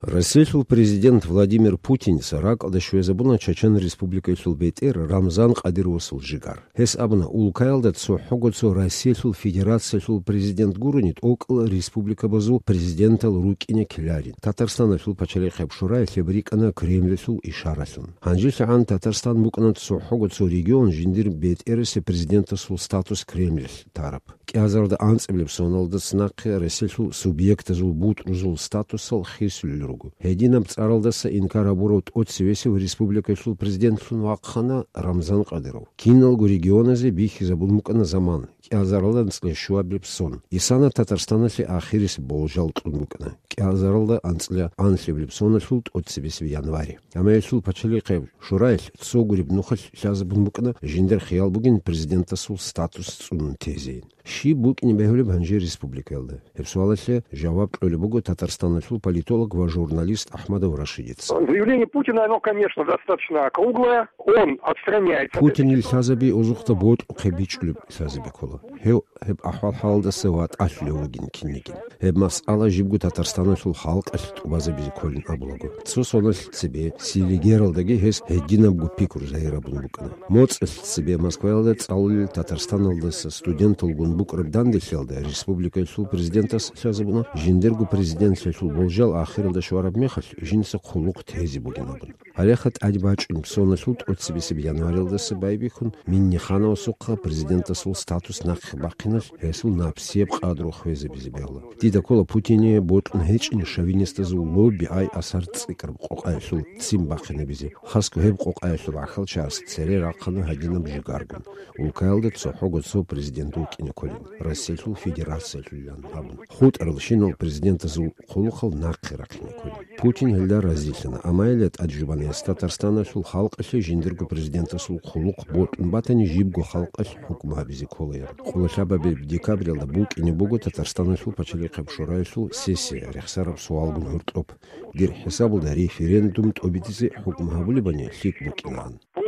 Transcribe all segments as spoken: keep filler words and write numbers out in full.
Россиялъул президент Владимир Путинца ракӀалде щвезабуна Чачан Республикаялъул бетӀер Рамзан Кадыровасул жигар. Гьес абуна, улкаялда цохӀого цо Россиялъул Федерациялъул президент гурони, тӀокӀал республикабазул президентал рукӀине ккеларин. Татарстаналъул пачалихъеб шураялъ гьеб рикӀкӀана Кремльалъул ишаралъун. ГьанжелъагӀан Татарстан букӀана цохӀого цо регион жиндир бетӀерасеб президентасул статус Кремльалъ тараб. КӀиазарда анцӀабилеб соналдаса нахъе Россиялъул субъектазул бутӀрузул статусал хисулел руго. Гьединаб цӀаралдаса инкар гьабурав тӀоцебесев республикаялъул президентлъун вахъана Рамзан Кадыров. Киналго регионазе бихьизабун букӀана заман, кӀиазаралда анцӀила щуабилеб сон. Исана Татарстаналъе ахирисеб болжал кьун букӀана, кӀиазаралда анцӀила анлъабилеб соналъул тӀоцебесеб январе. Амма гьелъул пачалихъеб шураялъ цо гуреб нухалъ лъазабун букӀана жиндир хиял бугин президентасул статус цӀунун тезейин. Щиб букӀине бегьулеб гьанже республикаялда? Гьеб суалалъе жаваб кьолеб буго Татарстаналъул политолог ва журналист Ахмадов Рашидица. Заявление Путина, оно, конечно, достаточно округлое. Он отстраняется от Путинил лъазаби озухъда бокьухъе бичӀчӀулеб лъазаби ккола. Гьев гьеб ахӀвал-хӀалалдаса ватӀалъулев вугин кинниги. Гьеб масъала жибго Татарстаналъул халкъалъ тӀубазабизе кколин абулаго. Цо соналъ цебе Селигералдаги гьес гьединабго пикру загьирабун букӀана. МоцӀалъ цебе Москваялда цӀалулел Татарстаналдаса студенталгун букӀараб данделъиялда республикаялъул президентас лъазабуна жиндирго президентлъиялъул болжал ахиралда щвараб мехалъ жинца хъулухъ тезе бугин абун. Гьалеха тӀаде бачӀун соналъул тӀоцебесеб январалдаса байбихьун Миннихановасухъа президентасул статус нахъе бахъиналъ гьесул напсияб къадру хвезабизе бегьула. Дида ккола Путине бокьун гьечӀин шовинистазул лобби ай-асар цӀикӀкӀараб къокъаялъул ццин бахъинабизе, хасго гьеб къокъаялъул гӀахьалчагӀаз цере рахъана гьадинаб жигаргун, улкаялда цохӀого цо президент вукӀине кколин, Россиялъул Федерациялъулилан абун. ХутӀарал щинал президентазул хъулухъал нахъе рахъине кколин. Путин гьелда разилъана, амма гьелда тӀаде жубана гьес Татарстаналъул халкъалъе жиндирго президентасул хъулухъ бокьун батани, жибго халкъалъ хӀукму гьабизе кколаян. Къоло лъабабилеб декабралда букӀине буго Татарстаналъул пачалихъеб шураялъул сессия, рехсараб суалгун гьоркьоб. Дир хӀисабалда референдум тӀобитӀизе хӀукму гьабулебани лъикӀ букӀинаан. По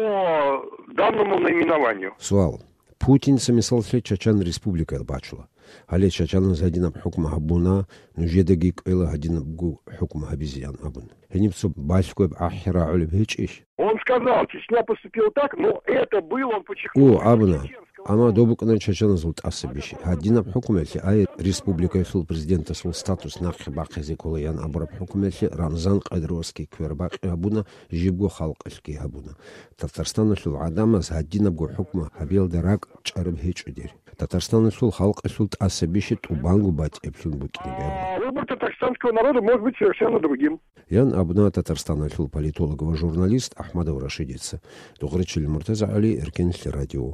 данному наименованию. Суал. Путинца, мисаллъе, Чачан Республикаял бачула. Гьале чачаназ гьадинаб хӀукму гьабуна, нужедаги кӀвела гьадинабго хӀукму гьабизеян абун. Гьениб цо балъгояб ахӀи рагӀулеб гьечӀищ? Он сказал, Чечня поступила так, но это было, он подчеркнул, О, абуна, чеченского. Амма доб букӀана чачаназул тӀаса бищи. Гьадинаб хӀукмуялъе, ай, республикаялъул президентасул статус нахъе бахъизе кколаян абураб хӀукмуялъе Рамзан Кадыровасги квербакъи гьабуна, жибго халкъалъги гьабуна. Татарстаналъул гӀадамаз гьадинабго хӀукму гьабиялда ракӀ чӀараб гьечӀо дир. Татарстаналъул халкъалъул тӀаса бищи тӀубанго батӀиблъун букӀине бегьула. А выбор татарстанского народа может быть совершенно другим. Ян абуна Татарстаналъул политолог ва журналист Ахмадов Рашидица. Дугъричил МуртазагӀали, Эркенлъи радио.